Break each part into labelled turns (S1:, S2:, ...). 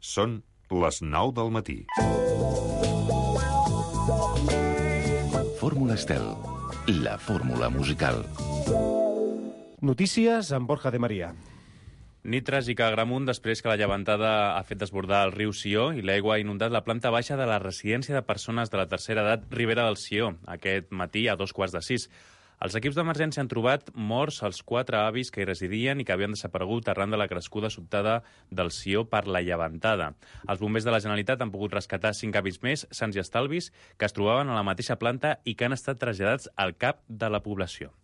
S1: Són les 9 del matí.
S2: Fórmula Estel, la fórmula musical.
S3: Notícies amb Borja de Maria.
S4: Nit tràgica a Agramunt després que la llevantada ha fet desbordar el riu Sió i l'aigua ha inundat la planta baixa de la residència de persones de la tercera edat Ribera del Sió, aquest matí a 5:45. Els equips d'emergència han trobat morts els 4 avis que hi residien i que havien desaparegut arran de la crescuda sobtada del Sió per la llevantada. Els bombers de la Generalitat han pogut rescatar 5 avis més, sans i estalvis, que es trobaven a la mateixa planta i que han estat traslladats al CAP de la població.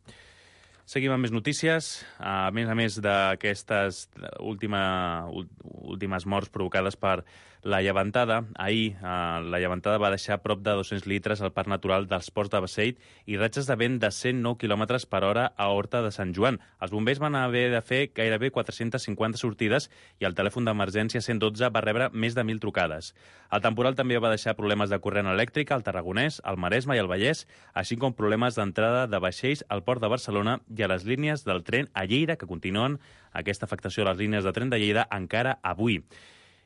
S4: Seguim amb més notícies. A més d'aquestes últimes morts provocades per la llevantada, ahir la llevantada va deixar prop de 200 litres al Parc Natural dels Ports de Beceit i ratxes de vent de 109 km per hora a Horta de Sant Joan. Els bombers van haver de fer gairebé 450 sortides i el telèfon d'emergència 112 va rebre més de 1.000 trucades. El temporal també va deixar problemes de corrent elèctric al Tarragonès, al Maresme i al Vallès, així com problemes d'entrada de vaixells al Port de Barcelona i a les línies del tren a Lleida, que continuen aquesta afectació a les línies de tren de Lleida encara avui.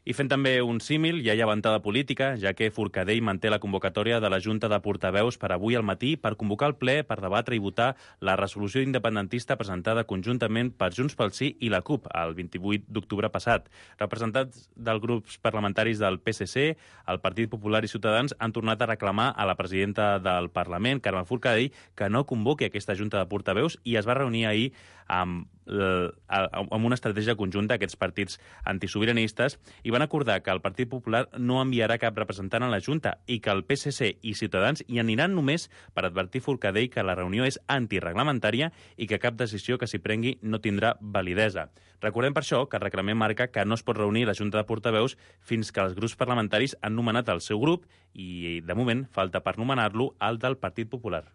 S4: I fent també un símil, hi ha llevantada política, ja que Forcadell manté la convocatòria de la Junta de Portaveus per avui al matí per convocar el ple per debatre i votar la resolució independentista presentada conjuntament per Junts pel Sí i la CUP el 28 d'octubre passat. Representants dels grups parlamentaris del PSC, el Partit Popular i Ciutadans han tornat a reclamar a la presidenta del Parlament, Carme Forcadell, que no convoqui aquesta Junta de Portaveus i es va reunir ahir amb una estratègia conjunta aquests partits antisobiranistes i van acordar que el Partit Popular no enviarà cap representant a la Junta i que el PSC i Ciutadans hi aniran només per advertir Forcadell que la reunió és antireglamentària i que cap decisió que s'hi prengui no tindrà validesa. Recordem per això que el reglament marca que no es pot reunir la Junta de Portaveus fins que els grups parlamentaris han nomenat el seu grup i, de moment, falta per nomenar-lo el del Partit Popular.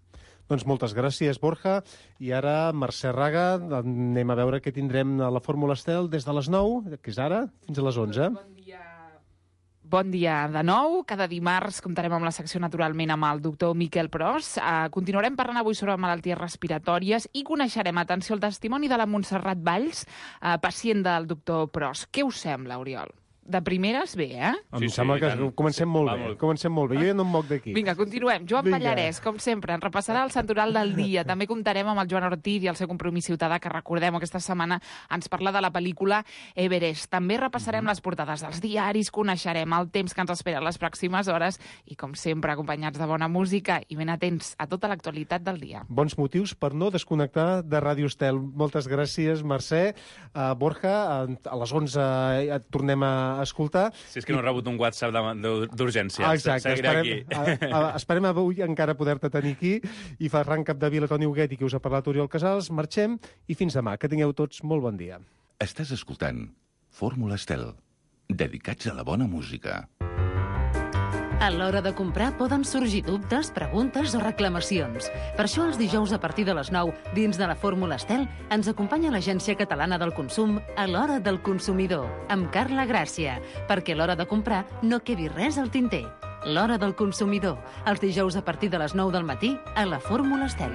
S3: Doncs moltes gràcies, Borja. I ara, Mercè Raga, anem a veure què tindrem a la Fórmula Estel des de les 9, que és ara, fins a les 11.
S5: Bon dia de nou. Cada dimarts comptarem amb la secció, naturalment, amb el doctor Miquel Pros. Continuarem parlant avui sobre malalties respiratòries i coneixerem, atenció, el testimoni de la Montserrat Valls, pacient del doctor Pros. Què us sembla, Oriol? De primeres, bé, eh?
S3: Em sembla que comencem molt bé. Comencem molt bé. Jo ja no em moc d'aquí.
S5: Vinga, continuem. Joan Pallarès, com sempre, ens repassarà el santoral del dia. També comptarem amb el Joan Ortiz i el seu compromís ciutadà, que recordem aquesta setmana ens parla de la pel·lícula Everest. També repassarem les portades dels diaris, coneixerem el temps que ens espera les pròximes hores i, com sempre, acompanyats de bona música i ben atents a tota l'actualitat del dia.
S3: Bons motius per no desconnectar de Ràdio Estel. Moltes gràcies, Mercè. Borja, a les 11 et tornem a escoltar.
S4: Si és que no he rebut un WhatsApp d'urgència.
S3: Exacte, esperem avui encara poder-te tenir aquí i fa arran Capdevila, Toni Huguet i qui us ha parlat Oriol Casals. Marxem i fins demà. Que tingueu tots molt bon dia.
S2: Estàs escoltant Fórmula Estel, dedicats a la bona música.
S6: A l'hora de comprar poden sorgir dubtes, preguntes o reclamacions. Per això els dijous a partir de les 9, dins de la Fórmula Estel, ens acompanya l'Agència Catalana del Consum a l'Hora del Consumidor, amb Carla Gràcia, perquè a l'hora de comprar no quedi res al tinter. L'Hora del Consumidor, els dijous a partir de les 9 del matí a la Fórmula Estel.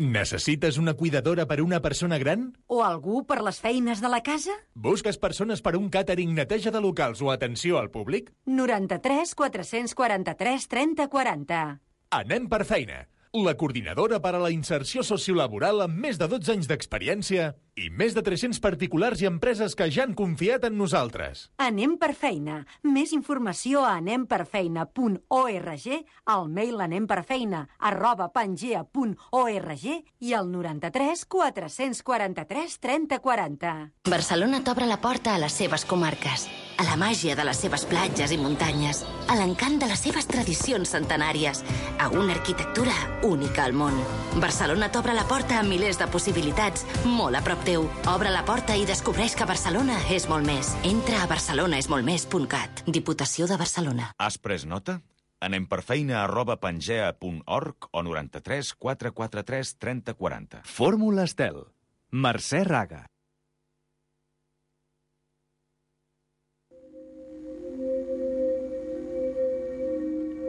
S7: Necessites una cuidadora per una persona gran?
S8: O algú per les feines de la casa?
S7: Busques persones per un càtering, neteja de locals o atenció al públic?
S8: 93 443 30 40.
S7: Anem per feina. La coordinadora per a la inserció sociolaboral amb més de 12 anys d'experiència i més de 300 particulars i empreses que ja han confiat en nosaltres.
S8: Anem per feina. Més informació a anemperfeina.org, al mail anemperfeina@pangea.org i al 93 443 30 40.
S9: Barcelona t'obre la porta a les seves comarques, a la màgia de les seves platges i muntanyes, a l'encant de les seves tradicions centenàries, a una arquitectura única al món. Barcelona t'obre la porta a milers de possibilitats, molt a prop teu. Obre la porta i descobreix que Barcelona és molt més. Entra a barcelonaesmoltmés.cat. Diputació de Barcelona.
S10: Has pres nota? anemperfeina@pangea.org o 93 443 30 40.
S11: Fórmula Estel. Mercè Raga.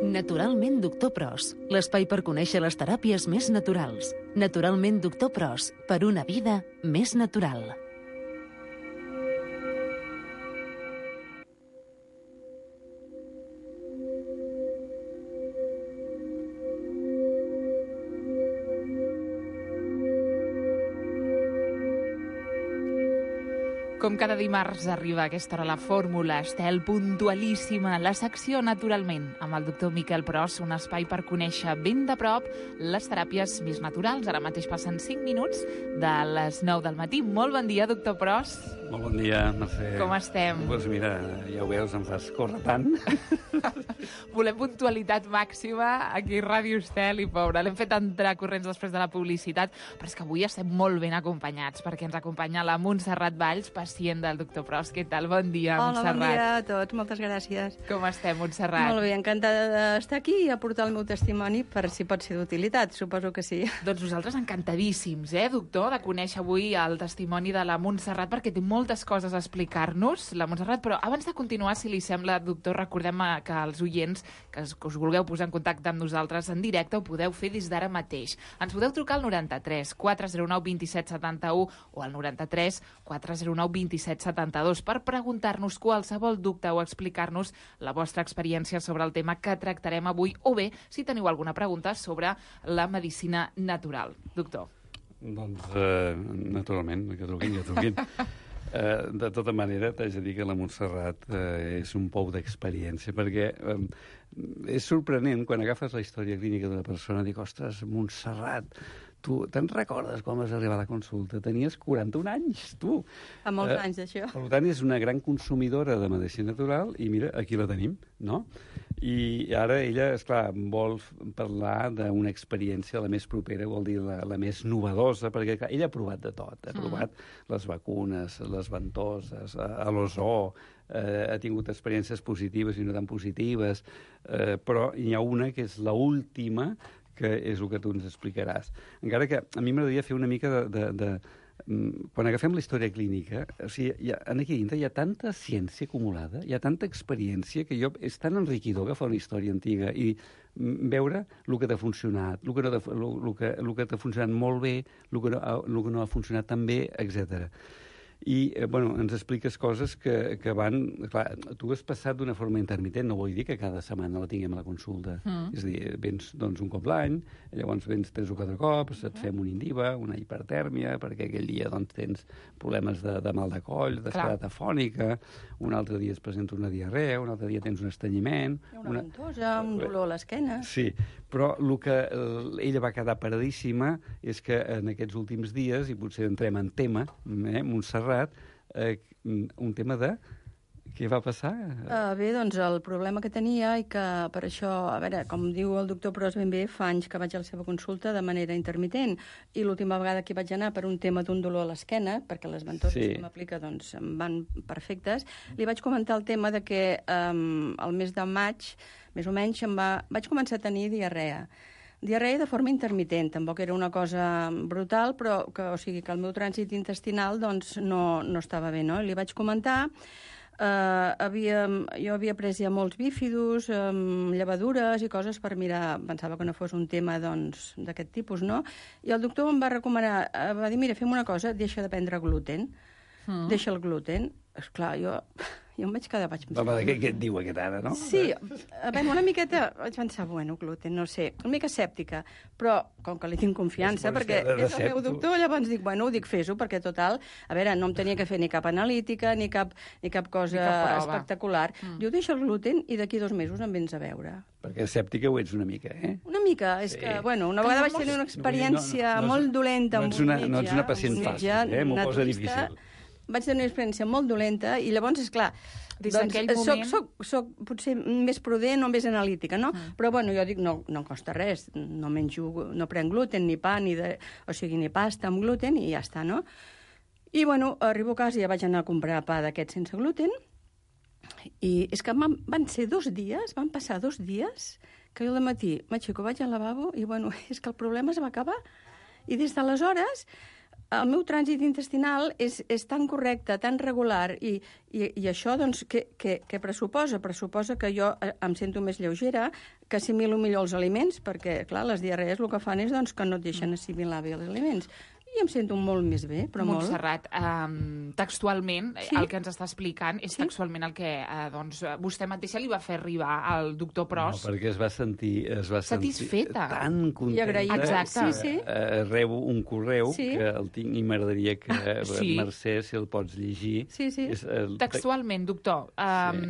S6: Naturalment Doctor Pros, l'espai per conèixer les teràpies més naturals. Naturalment Doctor Pros, per una vida més natural.
S5: Com cada dimarts arriba a aquesta hora la fórmula Estel puntualíssima, la secció Naturalment, amb el doctor Miquel Pros, un espai per conèixer ben de prop les teràpies més naturals. Ara mateix passen 5 minuts de les 9 del matí. Molt bon dia, doctor Pros.
S12: Molt bon dia, Mercè.
S5: Com estem?
S12: Doncs mira, ja ho veus, em fas córrer tant.
S5: Volem puntualitat màxima aquí a Ràdio Estel i pobra. L'hem fet entrar corrents després de la publicitat, però és que avui estem molt ben acompanyats perquè ens acompanya la Montserrat Valls, pacient del doctor Pros. Què tal? Bon dia, Montserrat.
S13: Hola, bon dia a tots. Moltes gràcies.
S5: Com estem, Montserrat?
S13: Molt bé, encantada d'estar aquí i aportar el meu testimoni per si pot ser d'utilitat. Suposo que sí.
S5: Doncs nosaltres encantadíssims, doctor, de conèixer avui el testimoni de la Montserrat, perquè té moltes coses a explicar-nos, la Montserrat, però abans de continuar, si li sembla, doctor, recordem que els oients que us vulgueu posar en contacte amb nosaltres en directe ho podeu fer des d'ara mateix. Ens podeu trucar al 93 409 27 71 o al 93 409 27 72 per preguntar-nos qualsevol dubte o explicar-nos la vostra experiència sobre el tema que tractarem avui, o bé, si teniu alguna pregunta sobre la medicina natural. Doctor.
S12: Doncs, naturalment, que truquin. De tota manera, t'haig de dir que la Montserrat és un pou d'experiència, perquè és sorprenent quan agafes la història clínica d'una persona i dic, ostres, Montserrat, tu te'n recordes quan vas arribar a la consulta? Tenies 41 anys, tu.
S13: Fa molts anys, d'això.
S12: Per tant, és una gran consumidora de medicina natural i mira, aquí la tenim, no? I ara ella, esclar, vol parlar d'una experiència la més propera, vol dir la més novedosa, perquè clar, ella ha provat de tot. Ha provat les vacunes, les ventoses, a l'ozó, ha tingut experiències positives i no tan positives, però hi ha una que és l'última, que és el que tu ens explicaràs. Encara que a mi m'agradaria fer una mica quan agafem la història clínica, o sigui, aquí dintre hi ha tanta ciència acumulada, hi ha tanta experiència, que és tan enriquidor agafar una història antiga i veure el que t'ha funcionat, el que t'ha funcionat molt bé, el que no ha funcionat tan bé, etc. I, ens expliques coses que van... Clar, tu has passat d'una forma intermitent, no vull dir que cada setmana la tinguem a la consulta. És a dir, vens un cop l'any, llavors vens 3 o 4 cops, et fem un indiva, una hipertèrmia, perquè aquell dia tens problemes de mal de coll, d'esclerat afònica, un altre dia es presenta una diarrea, un altre dia tens un estrenyiment...
S13: Una ventosa, un dolor a l'esquena...
S12: Sí, però el que ella va quedar paradíssima és que en aquests últims dies, i potser entrem en tema, Montserrat, un tema de... Què va passar?
S13: Bé, doncs el problema que tenia i que per això, a veure, com diu el doctor Pros ben bé, fa anys que vaig a la seva consulta de manera intermitent i l'última vegada que vaig anar per un tema d'un dolor a l'esquena, perquè les ventoses que m'aplica doncs em van perfectes, li vaig comentar el tema de que el mes de maig, més o menys, vaig començar a tenir diarrea. Diarrea de forma intermitent, tampoc era una cosa brutal, però que el meu trànsit intestinal doncs, no estava bé, no? Li vaig comentar, jo havia pres ja molts bífidus, llevadures i coses per mirar, pensava que no fos un tema d'aquest tipus, no? I el doctor em va recomanar, va dir, mira, fem una cosa, deixa de prendre gluten, deixa el gluten. Esclar, jo em vaig quedar...
S12: Què et diu aquest ara, no?
S13: Sí, una miqueta vaig pensar, gluten, no sé, una mica escèptica, però com que li tinc confiança, perquè és el meu doctor, llavors dic, fes-ho, perquè total, a veure, no em tenia que fer ni cap analítica, ni cap cosa espectacular. Diu, deixa el gluten i d'aquí 2 mesos em vens a veure.
S12: Perquè escèptica ho ets una mica,
S13: Una mica, és que, una vegada vaig tenir una experiència molt dolenta amb un metge.
S12: No ets una pacient fàcil, m'ho posa difícil.
S13: Vaig tenir una experiència molt dolenta i llavors, esclar, soc potser més prudent o més analítica, no? Però, jo dic, no em costa res, no prenc gluten, ni pa, ni pasta amb gluten i ja està, no? I, arribo a casa i ja vaig anar a comprar pa d'aquest sense gluten i és que van ser 2 dies, van passar 2 dies que jo al matí m'aixeco, vaig al lavabo i, és que el problema es va acabar. I des d'aleshores el meu trànsit intestinal és tan correcte, tan regular, i això, doncs, què pressuposa? Pressuposa que jo em sento més lleugera, que assimilo millor els aliments, perquè, clar, les diarrees el que fan és que no et deixen assimilar bé els aliments. I em sento molt més bé, però molt.
S5: Montserrat, textualment, el que ens està explicant és textualment el que vostè mateixa li va fer arribar al doctor Pros.
S12: No, perquè es va sentir
S5: satisfeta.
S12: Tan contenta.
S13: I agraïda.
S5: Exacte.
S12: Rebo un correu que el tinc i m'agradaria que, Mercè, si el pots llegir.
S13: Sí.
S5: Textualment, doctor,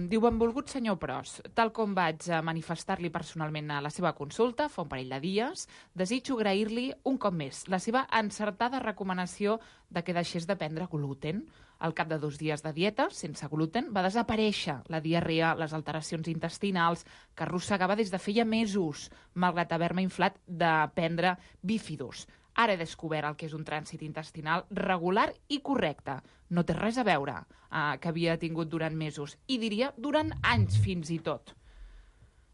S5: diu: benvolgut senyor Pros, tal com vaig manifestar-li personalment a la seva consulta fa un parell de dies, desitjo agrair-li un cop més la seva encertada recomanació de que deixés de prendre gluten. Al cap de 2 dies de dieta, sense gluten, va desaparèixer la diarrea, les alteracions intestinals, que arrossegava des de feia mesos, malgrat haver-me inflat de prendre bífidos. Ara he descobert el que és un trànsit intestinal regular i correcte. No té res a veure que havia tingut durant mesos, i diria durant anys fins i tot.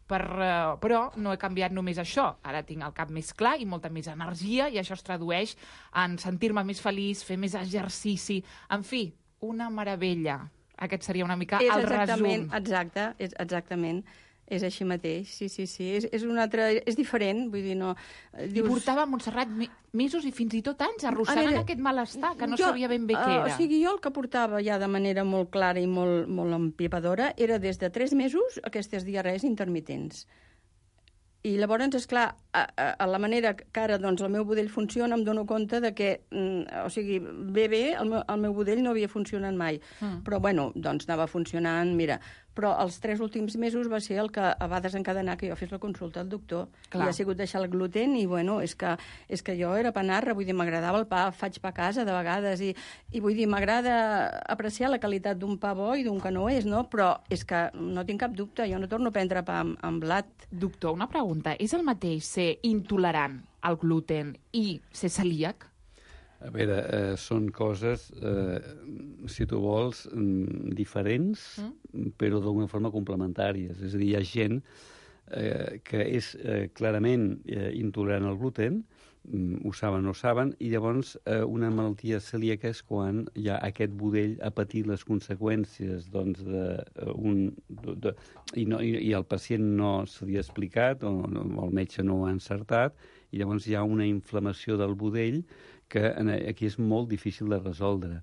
S5: Però no he canviat només això. Ara tinc el cap més clar i molta més energia, i això es tradueix en sentir-me més feliç, fer més exercici... En fi, una meravella. Aquest seria una mica el resum.
S13: Exactament. És així mateix, sí. És un altre... És diferent, vull dir, no...
S5: I portava a Montserrat mesos i fins i tot anys arrossegant aquest malestar, que no sabia ben bé què era.
S13: O sigui, jo el que portava ja de manera molt clara i molt empipadora era des de 3 mesos aquestes diarrees intermitents. I llavors, esclar, a la manera que ara doncs, el meu budell funciona, em dono compte de que, o sigui, bé, el meu budell no havia funcionat mai. Però, bueno, doncs anava funcionant, mira. Però els 3 últims mesos va ser el que va desencadenar que jo fes la consulta al doctor. Clar. I ha sigut deixar el gluten i, bueno, és que jo era panarra, vull dir, m'agradava el pa, faig pa a casa de vegades i vull dir, m'agrada apreciar la qualitat d'un pa bo i d'un que no és, no? Però és que no tinc cap dubte, jo no torno a prendre pa amb blat.
S5: Doctor, una pregunta. És el mateix ser intolerant al gluten i ser celíac?
S12: A veure, són coses, si tu vols, diferents, però d'alguna forma complementàries. És a dir, hi ha gent que és clarament intolerant al gluten, ho saben o no saben, i llavors una malaltia celíaca és quan ja aquest budell ha patit les conseqüències i el pacient no se li ha explicat o el metge no ho ha encertat, i llavors hi ha una inflamació del budell que aquí és molt difícil de resoldre.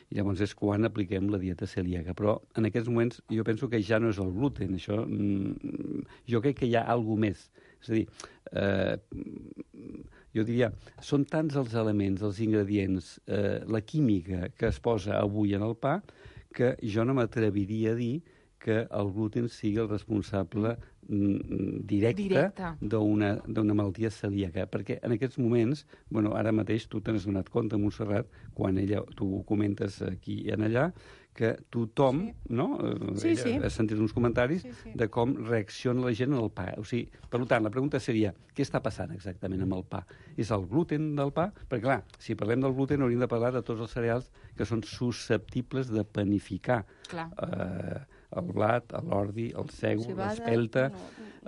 S12: I llavors és quan apliquem la dieta celíaca. Però en aquests moments jo penso que ja no és el gluten. Això, jo crec que hi ha alguna més. És a dir, jo diria, són tants els elements, els ingredients, la química que es posa avui en el pa, que jo no m'atreviria a dir que el gluten sigui el responsable directe d'una malaltia celíaca. Perquè en aquests moments, bueno, ara mateix tu t'has donat compte, Montserrat, quan tu ho comentes aquí i allà, que tothom, no? Has sentit uns comentaris de com reacciona la gent al pa. O sigui, per tant, la pregunta seria, què està passant exactament amb el pa? És el gluten del pa? Perquè, clar, si parlem del gluten hauríem de parlar de tots els cereals que són susceptibles de panificar. El blat, l'ordi, el sègol, l'espelta...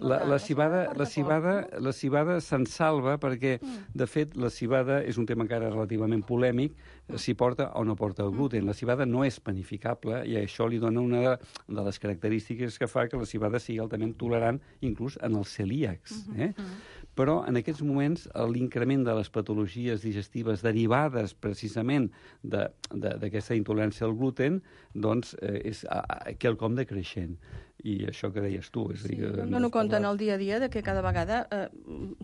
S12: La civada se'n salva perquè, de fet, la civada és un tema encara relativament polèmic, si porta o no porta el gluten. La civada no és panificable i això li dona una de les característiques que fa que la civada sigui altament tolerant inclús en els celíacs. Però en aquests moments l'increment de les patologies digestives derivades precisament d'aquesta intolerància al gluten doncs és quelcom decreixent. I això que deies tu...
S13: Em dono compte en el dia a dia de que cada vegada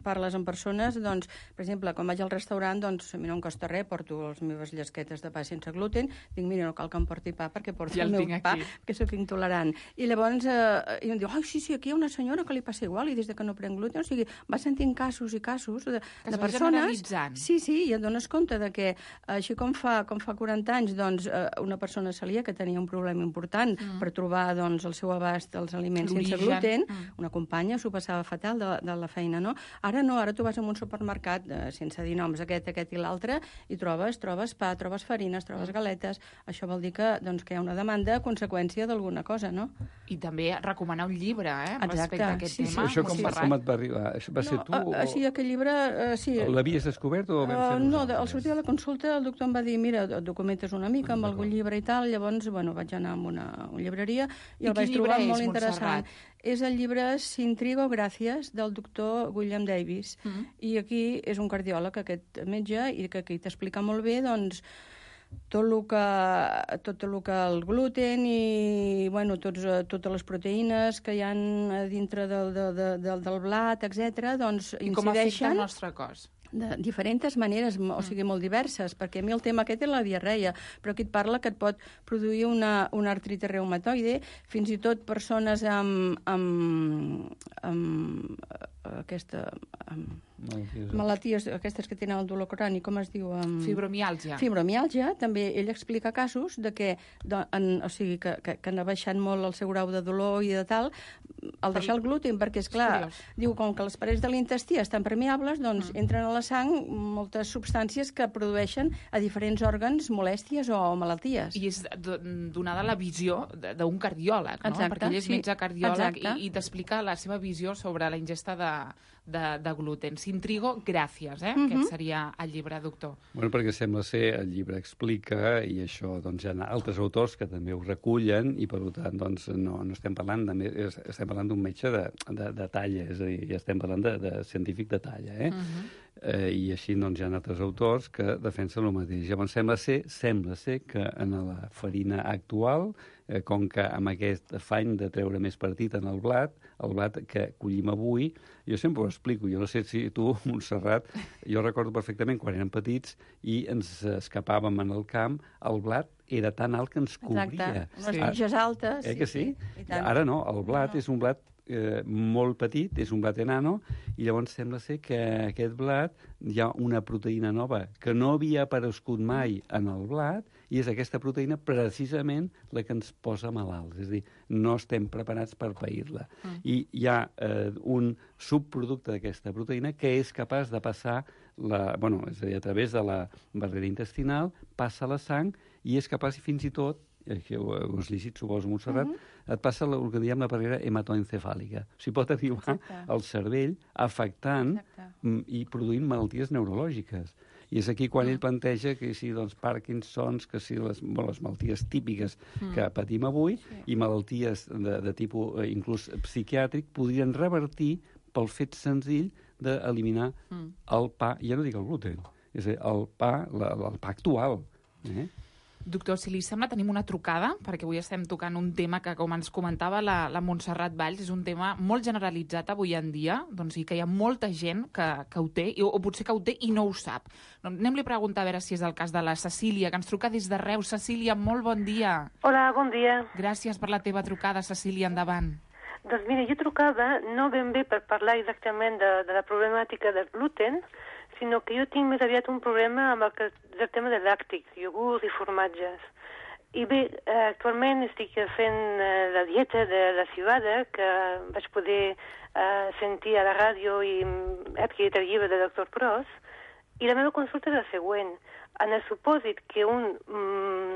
S13: parles amb persones, doncs, per exemple, quan vaig al restaurant, doncs, a mi no em costa res, porto les meves llesquetes de pa sense gluten, dic, mira, no cal que em porti pa perquè porto el meu pa, que sóc intolerant. I llavors em diu, sí, aquí hi ha una senyora que li passa igual i des que no prenc gluten, o sigui, va sentint casos i casos de persones... Sí, i et dones compte de que, així com fa 40 anys, doncs, una persona celíaca que tenia un problema important per trobar, doncs, el seu abast dels aliments sense gluten, una companya s'ho passava fatal de la feina, no? Ara no, ara tu vas a un supermercat, sense dir noms, aquest i l'altre, i trobes pa, trobes farines, trobes galetes. Això vol dir que hi ha una demanda a conseqüència d'alguna cosa, no?
S5: I també recomanar un llibre, respecte a aquest tema.
S12: Això com et va arribar? Va ser tu?
S13: Sí, aquell llibre, sí.
S12: L'havies descobert o vam fer
S13: no, al sortir de la consulta el doctor em va dir, mira, et documentes una mica amb algun llibre i tal, llavors, bueno, vaig anar a una llibreria i el vaig trobar molt molt interessant. És el llibre Sintrigo Gràcies, del doctor William Davis. I aquí és un cardiòleg, aquest metge, i que aquí t'explica molt bé, doncs, tot el que el gluten i totes les proteïnes que hi ha dintre del blat, etc., doncs incideixen...
S5: I com afecta el nostre cos?
S13: De diferents maneres, o sigui, molt diverses, perquè a mi el tema aquest és la diarreia, però aquí et parla que et pot produir una artritis reumatoide, fins i tot persones amb malalties aquestes que tenen el dolor crònic, com es diu?
S5: Fibromiàlgia.
S13: Fibromiàlgia, també ell explica casos de que han baixat molt el seu grau de dolor i de tal, al deixar el gluten, perquè, esclar, diu, com que les parets de l'intestí estan permeables, doncs entren a la sang moltes substàncies que produeixen a diferents òrgans molèsties o malalties.
S5: I és donada la visió d'un cardiòleg, no? Perquè ell és metge cardiòleg i t'explica la seva visió sobre la ingesta de gluten. Sintrigo, gràcies, aquest seria el llibre, doctor.
S12: Bueno, perquè sembla ser, el llibre explica, i això, doncs, hi ha altres autors que també ho recullen, i per tant, doncs, no estem parlant estem parlant d'un metge de talla, és a dir, ja estem parlant de científic de talla, i així, doncs, hi ha altres autors que defensen el mateix. Llavors, sembla ser que en la farina actual, com que amb aquest afany de treure més partit en el blat que collim avui, jo sempre ho explico, jo no sé si tu, Montserrat, jo recordo perfectament quan érem petits i ens escapàvem en el camp, el blat era tan alt que ens cobria.
S13: Exacte, unes mitges altes.
S12: Que sí? Ara no, el blat és un blat molt petit, és un blat enano, i llavors sembla ser que aquest blat hi ha una proteïna nova que no havia aparegut mai en el blat, i és aquesta proteïna precisament la que ens posa malalts. És a dir, no estem preparats per pair-la. I hi ha un subproducte d'aquesta proteïna que és capaç de passar és a dir, a través de la barrera intestinal, passa a la sang i és capaç fins i tot, que ho has llegit, suposo, Montserrat, et passa el que diem la barrera hematoencefàlica. O sigui, pot arribar al cervell afectant i produint malalties neurològiques. I és aquí quan ell planteja que si Parkinsons, que si les malalties típiques que patim avui i malalties de tipus inclús psiquiàtric podrien revertir pel fet senzill d'eliminar el pa, ja no dic el gluten, és a dir, el pa actual.
S5: Doctor, si li sembla, tenim una trucada, perquè avui estem tocant un tema que, com ens comentava la Montserrat Valls, és un tema molt generalitzat avui en dia, doncs, i que hi ha molta gent que ho té, o potser que ho té i no ho sap. Anem-li a preguntar a veure si és el cas de la Cecília, que ens truca des de Reus. Cecília, molt bon dia.
S14: Hola, bon dia.
S5: Gràcies per la teva trucada, Cecília, endavant.
S14: Doncs mira, jo trucava no ben bé per parlar exactament de la problemàtica del gluten, sinó que jo tinc més aviat un problema amb el tema de làctics, iogurts i formatges. I bé, actualment estic fent la dieta de la civada, que vaig poder sentir a la ràdio i he adquirit el llibre del Dr. Pros, i la meva consulta és la següent. En el supòsit que un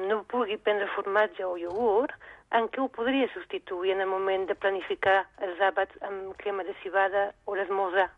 S14: no pugui prendre formatge o iogurt, en què ho podria substituir en el moment de planificar els àpats amb crema de civada o l'esmorzar?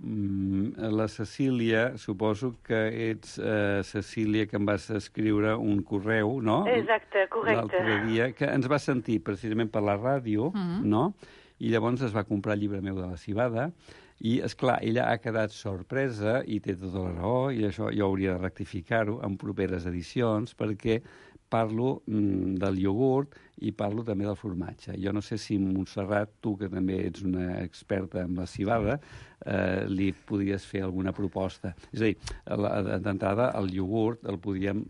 S12: La Cecília, suposo que ets Cecília, que em vas escriure un correu, no?
S14: Exacte, correcte.
S12: L'altre dia, que ens va sentir precisament per la ràdio, no? I llavors es va comprar el llibre meu de la civada, i, esclar, ella ha quedat sorpresa, i té tota la raó, i això jo hauria de rectificar-ho en properes edicions, perquè parlo del iogurt i parlo també del formatge. Jo no sé si Montserrat, tu que també ets una experta en la civada, li podries fer alguna proposta. És a dir, d'entrada el iogurt el podíem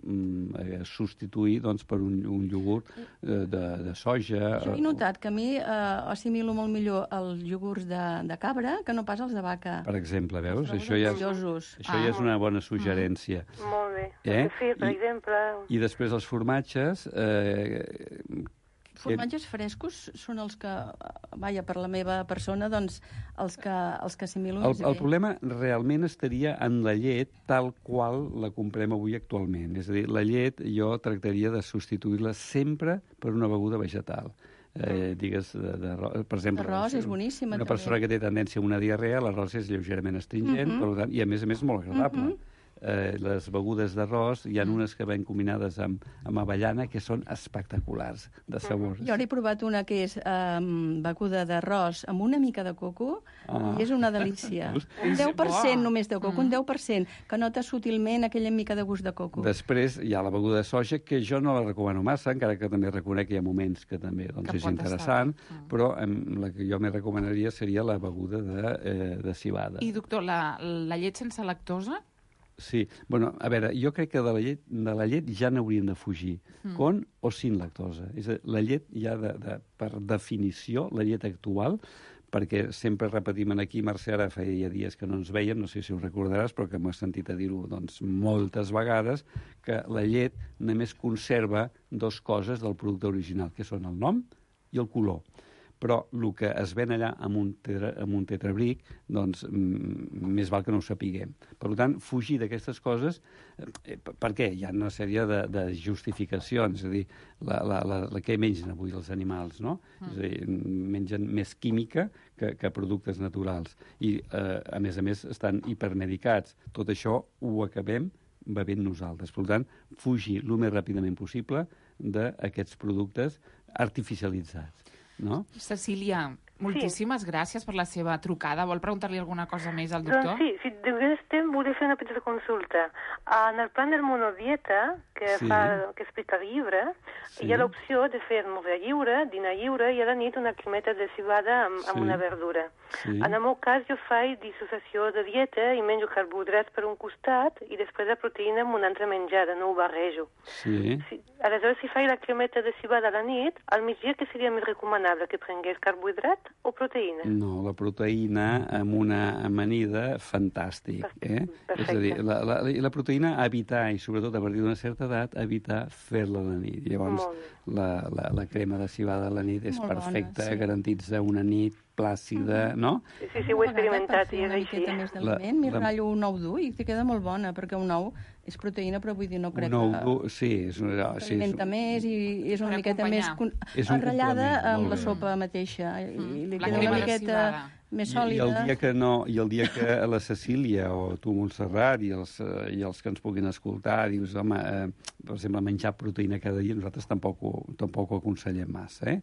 S12: substituir per un iogurt de soja.
S13: Jo he notat que a mi assimilo molt millor els iogurts de cabra que no pas els de vaca.
S12: Per exemple, veus? Això ja és una bona suggerència.
S14: Molt bé. Sí, per exemple.
S12: I després els formatges...
S13: Formatges frescos són els que, per la meva persona, doncs els que assimilo més bé.
S12: El problema realment estaria en la llet tal qual la comprem avui actualment. És a dir, la llet jo tractaria de substituir-la sempre per una beguda vegetal. Digues, per exemple...
S13: L'arròs és boníssima,
S12: una persona que té tendència a una diarrea, l'arròs és lleugerament astringent, per tant, i a més molt agradable. les begudes d'arròs, hi ha unes que ven combinades amb avellana que són espectaculars de sabors.
S13: Jo n'he provat una que és beguda d'arròs amb una mica de coco i és una delícia. Un 10% només de coco, un 10%, que nota sutilment aquella mica de gust de coco.
S12: Després hi ha la beguda de soja, que jo no la recomano massa, encara que també reconec que hi ha moments que també és interessant, però la que jo més recomanaria seria la beguda de civada.
S5: I, doctor, la llet sense lactosa?
S12: Sí, bueno, a veure, jo crec que de la llet ja n'hauríem de fugir, con o sin lactosa. És a dir, la llet ja, per definició, la llet actual, perquè sempre repetim aquí, Mercè, ara feia dies que no ens veiem, no sé si ho recordaràs, però que m'ho he sentit a dir-ho doncs, moltes vegades, que la llet només conserva dues coses del producte original, que són el nom i el color. Però el que es ven allà amb un tetrabric, doncs més val que no ho sapiguem. Per tant, fugir d'aquestes coses, per què? Hi ha una sèrie de justificacions, és a dir, què mengen avui els animals, no? És a dir, mengen més química que productes naturals. I, a més, estan hipermedicats. Tot això ho acabem bevent nosaltres. Per tant, fugir el més ràpidament possible d'aquests productes artificialitzats. No?
S5: Cecília, moltíssimes gràcies per la seva trucada. Vol preguntar-li alguna cosa més al doctor?
S14: Doncs sí, de ben estem, volia fer una petita consulta. En el plan del monodieta, que explica el llibre, hi ha l'opció de fer esmorzar lliure, dinar lliure i a la nit una cremeta de cibada amb una verdura. En el meu cas jo faig dissociació de dieta i menjo carbohidrats per un costat i després la proteïna amb una altra menjada, no ho barrejo. Aleshores, si faig la cremeta de cibada a la nit, al migdia què seria més recomanable, que prengués carbohidrat o proteïna?
S12: No, la proteïna amb una amanida, fantàstic. És a dir, la proteïna evitar, i sobretot a partir d'una certa edat, evitar fer-la a la nit. Llavors, la crema de cibada a la nit és perfecta, garantitza una nit plàcida, no?
S14: Sí, ho he experimentat i és així.
S13: M'hi ratllo un ou dur i te queda molt bona, perquè un ou és proteïna, però vull dir, no crec que...
S12: Un ou dur, sí.
S13: S'alimenta més i és una miqueta més enrotllada amb la sopa mateixa. I li queda una miqueta més sòlida.
S12: I el dia que la Cecília o tu, Montserrat, i els que ens puguin escoltar, dius, home, per exemple, menjar proteïna cada dia, nosaltres tampoc ho aconsellem massa.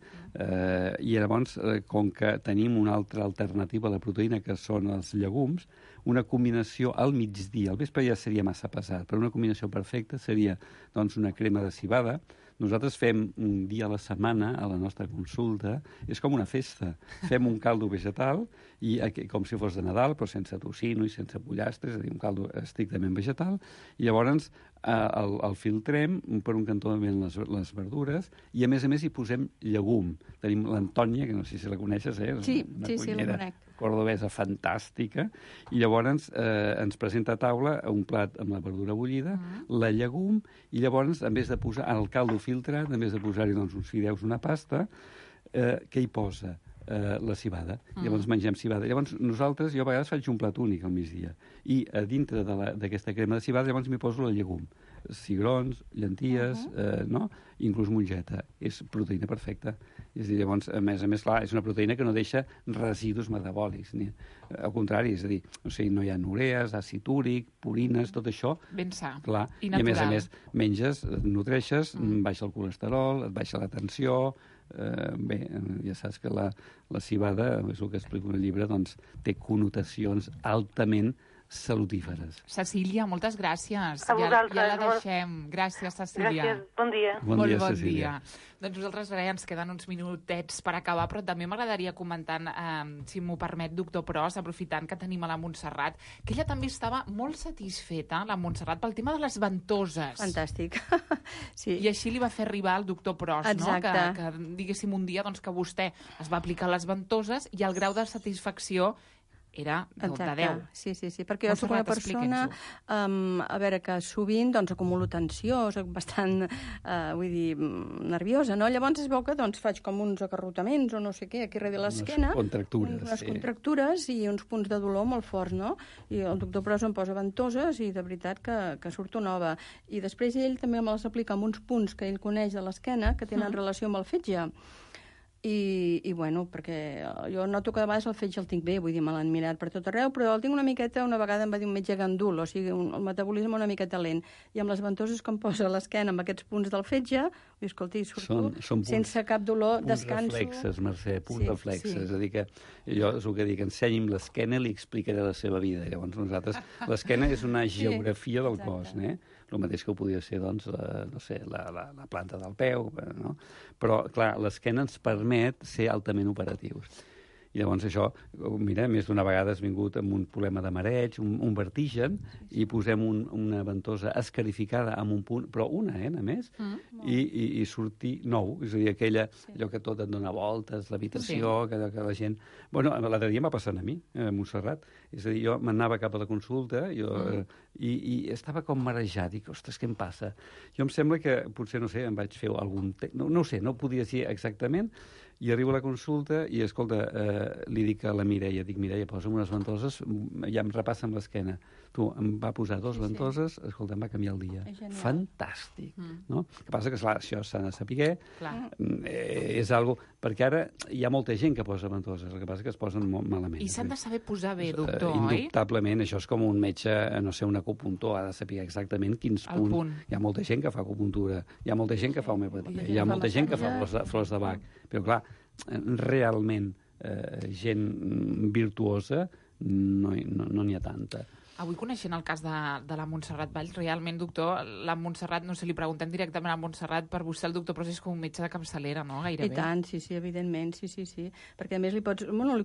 S12: I llavors, com que tenim una altra alternativa a la proteïna, que són els llegums, una combinació al migdia, al vespre ja seria massa pesat, però una combinació perfecta seria doncs, una crema de cibada. Nosaltres fem un dia a la setmana a la nostra consulta, és com una festa. Fem un caldo vegetal, i com si fos de Nadal, però sense tocino i sense pollastre, és a dir, un caldo estrictament vegetal, i llavors el filtrem, per un cantó les verdures, i a més hi posem llegum. Tenim l'Antònia, que no sé si la coneixes,
S13: Sí, la conec.
S12: Cordobesa fantàstica, i llavors ens presenta a taula un plat amb la verdura bullida, la llegum, i llavors, en vez de posar el caldo filtrat, en vez de posar-hi uns fideus, una pasta, què hi posa? La cibada. Llavors mengem cibada. Llavors nosaltres, jo a vegades faig un plat únic al migdia, i a dintre d'aquesta crema de cibada llavors m'hi poso la llegum. Cigrons, llenties, no? Inclús mongeta. És proteïna perfecta. És a dir, llavors, a més, clar, és una proteïna que no deixa residus metabòlics. Al contrari, és a dir, no hi ha urees, àcid úric, purines, tot això.
S5: Ben sa.
S12: Clar. I a més, menges, et nutreixes, baixa el colesterol, et baixa la tensió. Bé, ja saps que la cibada, és el que explico en el llibre, doncs té connotacions altament salutíferes.
S5: Cecília, moltes gràcies.
S14: A vosaltres.
S5: Ja la deixem. Gràcies, Cecília.
S14: Gràcies, bon dia.
S12: Bon dia.
S5: Doncs nosaltres ara ens queden uns minutets per acabar, però també m'agradaria comentar, si m'ho permet, doctor Pros, aprofitant que tenim a la Montserrat, que ella també estava molt satisfeta, la Montserrat, pel tema de les ventoses.
S13: Fantàstic. Sí.
S5: I així li va fer arribar al doctor Pros, no? Que diguéssim un dia doncs, que vostè es va aplicar les ventoses i el grau de satisfacció era de 10.
S13: Sí, perquè jo soc una persona, a veure, que sovint doncs, acumulo tensió, soc bastant, nerviosa, no? Llavors es veu que faig com uns acarrotaments o no sé què, aquí darrere l'esquena.
S12: Unes
S13: contractures i uns punts de dolor molt forts, no? I el doctor Pros em posa ventoses i de veritat que surto nova. I després ell també me les aplica amb uns punts que ell coneix de l'esquena que tenen relació amb el fetge. i bueno, perquè jo noto que a vegades el fetge el tinc bé, vull dir, me l'han mirat per tot arreu, però el tinc una miqueta, una vegada em va dir un metge gandul, o sigui, el metabolisme una miqueta lent, i amb les ventoses que em posa a l'esquena amb aquests punts del fetge, i escolti, surto sense cap dolor, descanso...
S12: Punts reflexes, Mercè, punts reflexes, és a dir que jo és el que dic, ensenyi'm l'esquena i li explicaré la seva vida. Llavors nosaltres, l'esquena és una geografia del cos, el mateix que ho podia ser, doncs, no sé, la planta del peu, no? Però, clar, l'esquena ens permet ser altament operatius. I llavors això, mira, més d'una vegada has vingut amb un problema de mareig, un vertigen, i posem una ventosa escarificada amb un punt, però una, a més, i sortir nou. És a dir, allò que tot et dona voltes, l'habitació, que la gent... Bueno, l'altre dia m'ha passat a mi, a Montserrat. És a dir, jo m'anava cap a la consulta i estava com marejat. Dic, ostres, què em passa? Jo em sembla que, potser, no sé, em vaig fer algun... No ho sé, no podia dir exactament, i arribo a la consulta i, escolta, li dic a la Mireia, Mireia, posa'm unes ventoses, ja em repassa amb l'esquena. Tu, em va posar dos ventoses, escolta, em va canviar el dia. Fantàstic, no? El que passa que, clar, això s'ha de saber, és algo... Perquè ara hi ha molta gent que posa ventoses, el que passa que es posen molt malament.
S5: I s'han de saber posar bé, doctor, oi?
S12: Indubtablement, això és com un metge, no sé, un acupuntor, ha de saber exactament quins punts. Hi ha molta gent que fa acupuntura, hi ha molta gent que fa homeopatia, hi ha molta gent que fa flors de Bach, però, clar, realment gent virtuosa no n'hi ha tanta.
S5: Avui, coneixent el cas de la Montserrat Valls, realment, doctor, la Montserrat, no sé, li preguntem directament a Montserrat, per vostè el doctor Pros és com un metge de capçalera, no? Gairebé.
S13: I tant, sí, evidentment, sí. Perquè, a més, li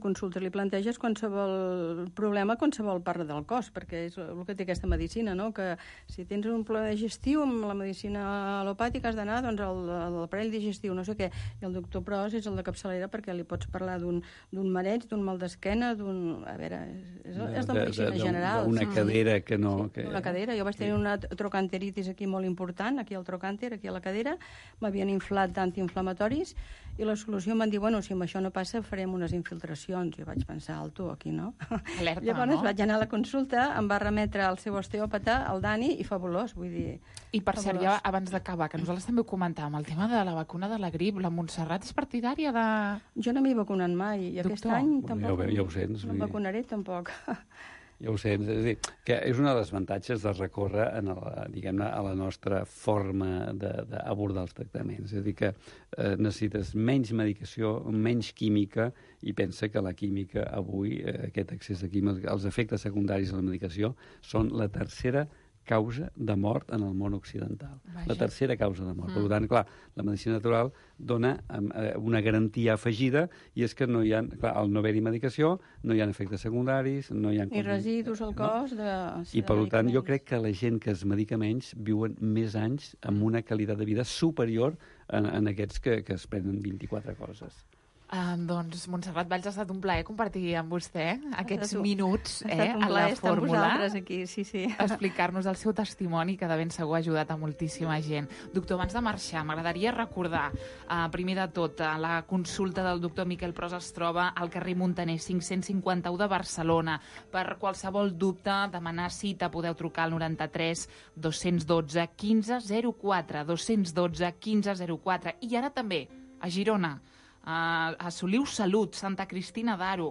S13: consultes, li planteges qualsevol problema, qualsevol part del cos, perquè és el que té aquesta medicina, no? Que si tens un problema digestiu, amb la medicina al·lopàtica has d'anar, doncs, a l'aparell digestiu, no sé què. I el doctor Pros és el de capçalera perquè li pots parlar d'un mareig, d'un mal d'esquena, a veure, és de medicina general.
S12: Una cadera que no...
S13: Una cadera. Jo vaig tenir una trocanteritis aquí molt important, aquí al trocànter, aquí a la cadera. M'havien inflat d'antiinflamatoris i la solució em van dir, bueno, si amb això no passa farem unes infiltracions. Jo vaig pensar, alto, aquí no.
S5: Alerta,
S13: llavors vaig anar a la consulta, em va remetre al seu osteòpata, el Dani, i fabulós, vull dir...
S5: I per cert, ja abans d'acabar, que nosaltres també ho comentàvem, el tema de la vacuna de la grip, la Montserrat és partidària de...
S13: Jo no m'he vacunat mai, i aquest any tampoc.
S12: Ja ho sents.
S13: No em vacunaré tampoc.
S12: Ja ho sé, és a dir, que és una de les avantatges de recórrer diguem-ne, a la nostra forma d'abordar els tractaments. És a dir, que necessites menys medicació, menys química, i pensa que la química avui, aquest excés de química, els efectes secundaris de la medicació són la tercera causa de mort en el món occidental. Vaja. La tercera causa de mort. Per tant, clar, la medicina natural dona una garantia afegida, i és que no hi ha, clar, al no haver-hi medicació, no hi ha efectes secundaris, no hi ha...
S13: Ni residus al cos de...
S12: I, per tant, jo crec que la gent que es medica menys viuen més anys amb una qualitat de vida superior en aquests que es prenen 24 coses.
S5: Doncs, Montserrat Valls, ha estat un plaer compartir amb vostè aquests minuts a la fórmula.
S13: Estar vosaltres aquí, sí.
S5: Explicar-nos el seu testimoni, que de ben segur ha ajudat a moltíssima gent. Doctor, abans de marxar, m'agradaria recordar, primer de tot, la consulta del doctor Miquel Pros es troba al carrer Muntaner 551 de Barcelona. Per qualsevol dubte, demanar cita, podeu trucar al 93 212 1504, 212 1504. I ara també, a Girona, a Soliu Salut, Santa Cristina d'Aro,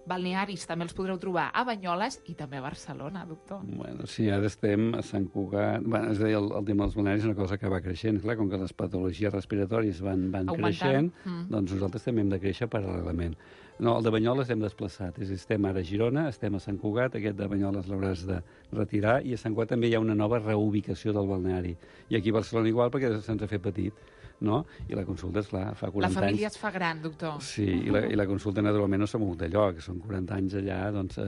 S5: balnearis també els podreu trobar a Banyoles i també a Barcelona, doctor.
S12: Bueno, sí, ara estem a Sant Cugat. Bueno, és a dir, el tema dels balnearis és una cosa que va creixent. Clar, com que les patologies respiratòries van creixent, doncs nosaltres també hem de créixer paral·lelament. No, el de Banyoles hem desplaçat. És a dir, estem ara a Girona, estem a Sant Cugat, aquest de Banyoles l'hauràs de retirar, i a Sant Cugat també hi ha una nova reubicació del balneari. I aquí a Barcelona igual, perquè se'ns ha fet petit, no? I la consulta, esclar, fa 40 anys...
S5: La família es fa gran, doctor.
S12: Sí, i la consulta naturalment no s'ha mogut de lloc, són 40 anys allà, doncs,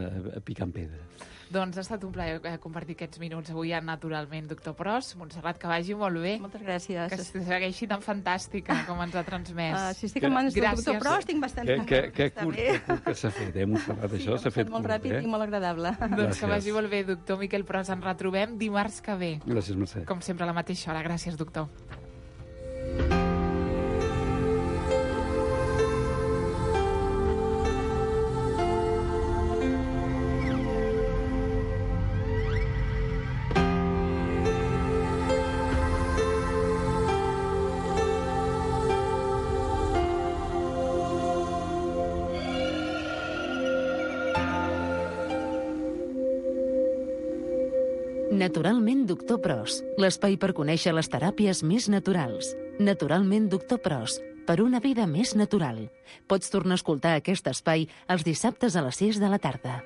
S12: picant pedra.
S5: Doncs ha estat un plaer compartir aquests minuts avui naturalment, doctor Pros. Montserrat, que vagi molt bé.
S13: Moltes gràcies.
S5: Que segueixi tan fantàstica com ens ha transmès.
S13: Si estic en mans del doctor Pros, tinc bastant...
S12: Que curt que s'ha fet, Montserrat, això s'ha fet
S13: molt ràpid i molt agradable.
S5: Doncs que vagi molt bé, doctor Miquel Pros. Ens retrobem dimarts que ve.
S12: Gràcies, Mercè.
S5: Com sempre, a la mateixa hora. Gràcies, doctor.
S6: Naturalment Doctor Pros, l'espai per conèixer les teràpies més naturals. Naturalment Doctor Pros, per una vida més natural. Pots tornar a escoltar aquest espai els dissabtes a les 6 de la tarda.